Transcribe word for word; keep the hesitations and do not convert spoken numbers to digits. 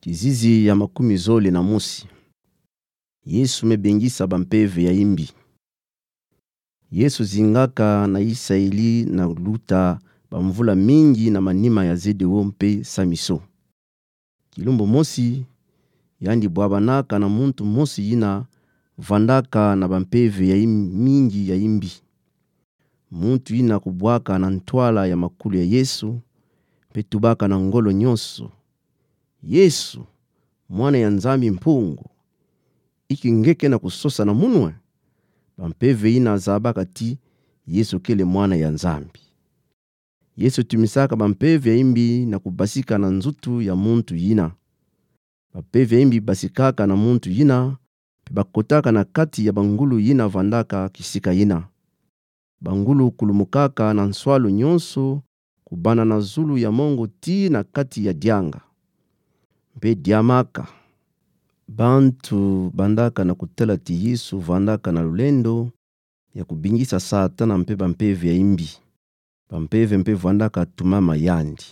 Kizizi ya makumi zole na mosi. Yesu me bengisa bampeve ya imbi. Yesu zingaka na Isaeli na luta bamvula mingi na manima ya Jedeo mpe Samiso. Kilumbu mosi, yandi bwabanaka na muntu mosi yina vandaka na bampeve ya im-, mingi ya imbi. Muntu yina kubwaka na ntwala ya makulu ya Yesu, mpe tubaka na ngolo nyonso: Yesu, Mwana ya Nzambi Mpungu, inki nge ke na kusosa na munwe? Bampeve yina zabaka ti Yesu kele Mwana ya Nzambi. Yesu tumisaka bampeve ya imbi na kubasika na nzutu ya muntu yina. Bampeve ya imbi basikaka na muntu yina, mpe bakotaka na kati ya bangulu yina vandaka kisika yina. Bangulu kulumukaka na nswalu nyonso, kubanda na zulu ya mongo tii na kati ya dianga. Mpe diamaka. Bantu bandaka na kutala ti Yesu vandaka na lulendo ya kubingisa Satana mpe bampeve ya imbi. Bampeve mpe vandaka tumama yandi.